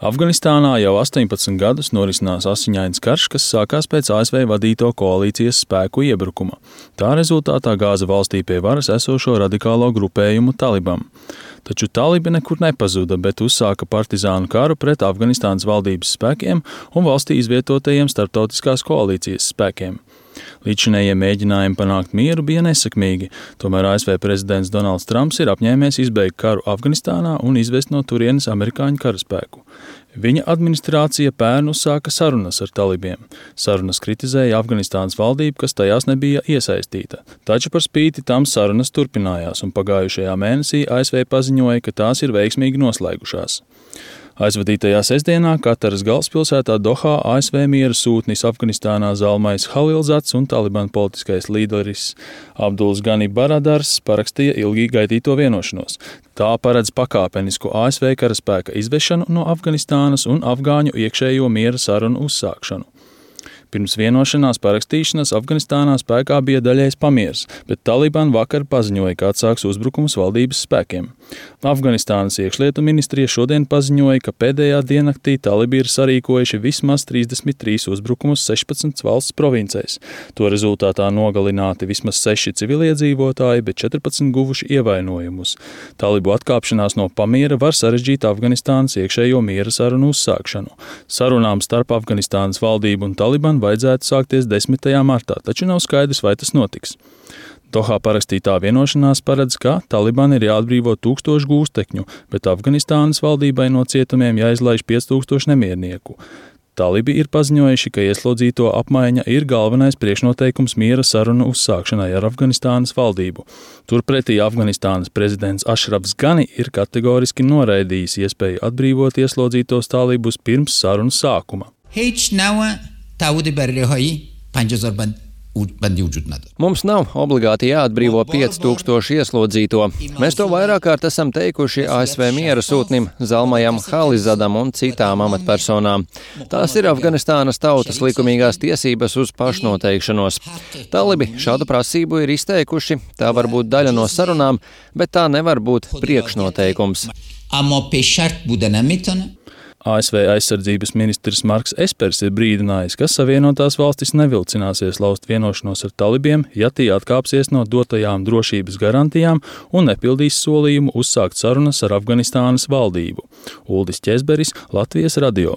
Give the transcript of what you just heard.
Afganistānā jau 18 gadus norisinās asiņains karš, kas sākās pēc ASV vadīto koalīcijas spēku iebrukuma. Tā rezultātā gāza valstī pie varas esošo radikālo grupējumu Taliban. Taču talibi nekur nepazuda, bet uzsāka partizānu karu pret Afganistānas valdības spēkiem un valstī izvietotajiem starptautiskās koalīcijas spēkiem. Līdzinējie mēģinājumi panākt mieru bija nesekmīgi, tomēr ASV prezidents Donalds Trumps ir apņēmies izbeigt karu Afganistānā un izvest no turienes amerikāņu karaspēku. Viņa administrācija pērn uzsāka sarunas ar talibiem. Sarunas kritizēja Afganistānas valdību, kas tajās nebija iesaistīta. Taču par spīti tam sarunas turpinājās, un pagājušajā mēnesī ASV paziņoja, ka tās ir veiksmīgi noslēgušās. Aizvadītajā sestdienā Kataras galvaspilsētā Dohā ASV miera sūtnis Afganistānā Zalmais Halilzats un Taliban politiskais līderis Abduls Gani Baradars parakstīja ilgi gaidīto vienošanos. Tā paredz pakāpenisku ASV karaspēka izvešanu no Afganistānas un afgāņu iekšējo miera sarunu uzsākšanu. Pirms vienošanās parakstīšanas Afganistānā spēkā bija daļējs pamiers, bet Taliban vakar paziņoja, ka atsāks uzbrukums valdības spēkiem. Afganistānas iekšlietu ministrija šodien paziņoja, ka pēdējā diennaktī talibi ir sarīkojuši vismaz 33 uzbrukumus 16 valsts provincēs. To rezultātā nogalināti vismaz 6 civiliedzīvotāji, bet 14 guvuši ievainojumus. Talibu atkāpšanās no pamiera var sarežģīt Afganistānas iekšējo miera sarunu uzsākšanu. Sarunām starp Afganistānas valdību un Taliban vajadzētu sākties 10. martā, taču nav skaidrs, vai tas notiks. Dohā parakstītā vienošanās paredz, ka Taliban ir jāatbrīvo 1000 gūstekņu, bet Afganistānas valdībai no cietumiem jāizlaiž 5000 nemiernieku. Talibi ir paziņojuši, ka ieslodzīto apmaiņa ir galvenais priekšnoteikums miera sarunu uzsākšanai ar Afganistānas valdību. Turpretī Afganistānas prezidents Ašrafs Gani ir kategoriski noraidījis iespēju atbrīvot ieslodzītos talibus pirms sarunu sākuma. Mums nav obligāti jāatbrīvo 5000 ieslodzīto. Mēs to vairāk kārt esam teikuši ASV miera sūtnim Zalmajam Halilzatam un citām amatpersonām. Tās ir Afganistānas tautas likumīgās tiesības uz pašnoteikšanos. Talibi šādu prasību ir izteikuši, tā var būt daļa no sarunām, bet tā nevar būt priekšnoteikums. ASV aizsardzības ministrs Marks Espers ir brīdinājis, ka Savienotās valstis nevilcināsies laust vienošanos ar talibiem, ja tie atkāpsies no dotajām drošības garantijām un nepildīs solījumu uzsākt sarunas ar Afganistānas valdību. Uldis Ķezberis, Latvijas radio.